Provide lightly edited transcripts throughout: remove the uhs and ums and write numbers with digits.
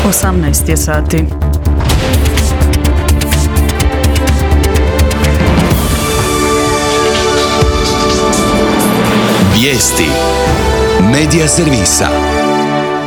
18 je sati. Vijesti Medija servisa.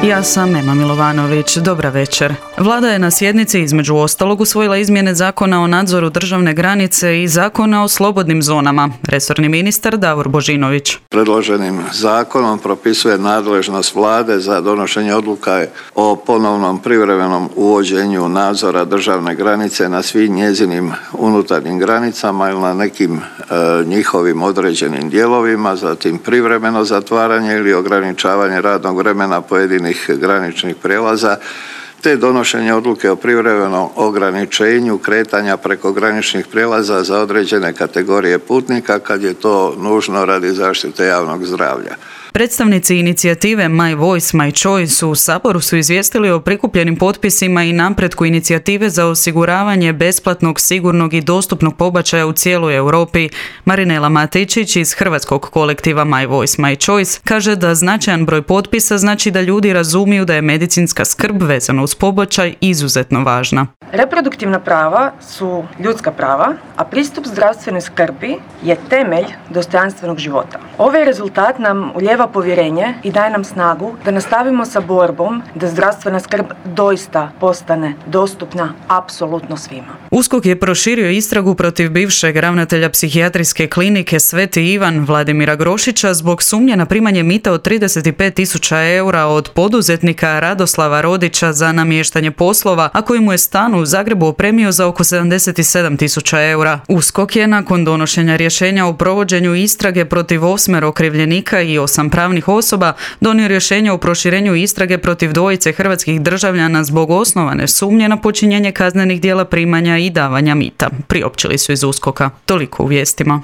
Ja sam Ema Milovanović. Dobra večer. Vlada je na sjednici između ostalog usvojila izmjene Zakona o nadzoru državne granice i Zakona o slobodnim zonama. Resorni ministar Davor Božinović. Predloženim zakonom propisuje nadležnost Vlade za donošenje odluka o ponovnom privremenom uvođenju nadzora državne granice na svim njezinim unutarnjim granicama ili na nekim njihovim određenim dijelovima, zatim privremeno zatvaranje ili ograničavanje radnog vremena pojedinih graničnih prijelaza, te donošenje odluke o privremenom ograničenju kretanja preko graničnih prijelaza za određene kategorije putnika kad je to nužno radi zaštite javnog zdravlja. Predstavnici inicijative My Voice, My Choice u Saboru su izvijestili o prikupljenim potpisima i napretku inicijative za osiguravanje besplatnog, sigurnog i dostupnog pobačaja u cijeloj Europi. Marinela Matičić iz hrvatskog kolektiva My Voice, My Choice kaže da značajan broj potpisa znači da ljudi razumiju da je medicinska skrb vezana uz pobačaj izuzetno važna. Reproduktivna prava su ljudska prava, a pristup zdravstvenoj skrbi je temelj dostojanstvenog života. Ovaj rezultat nam ulijeva povjerenje i daje nam snagu da nastavimo sa borbom da zdravstvena skrb doista postane dostupna apsolutno svima. USKOK je proširio istragu protiv bivšeg ravnatelja psihijatrijske klinike Sveti Ivan Vladimira Grošića zbog sumnje na primanje mita od 35.000 eura od poduzetnika Radoslava Rodića za namještanje poslova, a koji mu je stan u Zagrebu opremio za oko 77.000 eura. USKOK je nakon donošenja rješenja o provođenju istrage protiv 8 okrivljenika i 8 pravnih osoba donio rješenje o proširenju istrage protiv 2 hrvatskih državljana zbog osnovane sumnje na počinjenje kaznenih djela primanja i davanja mita. Priopćili su iz USKOK-a. Toliko u vijestima.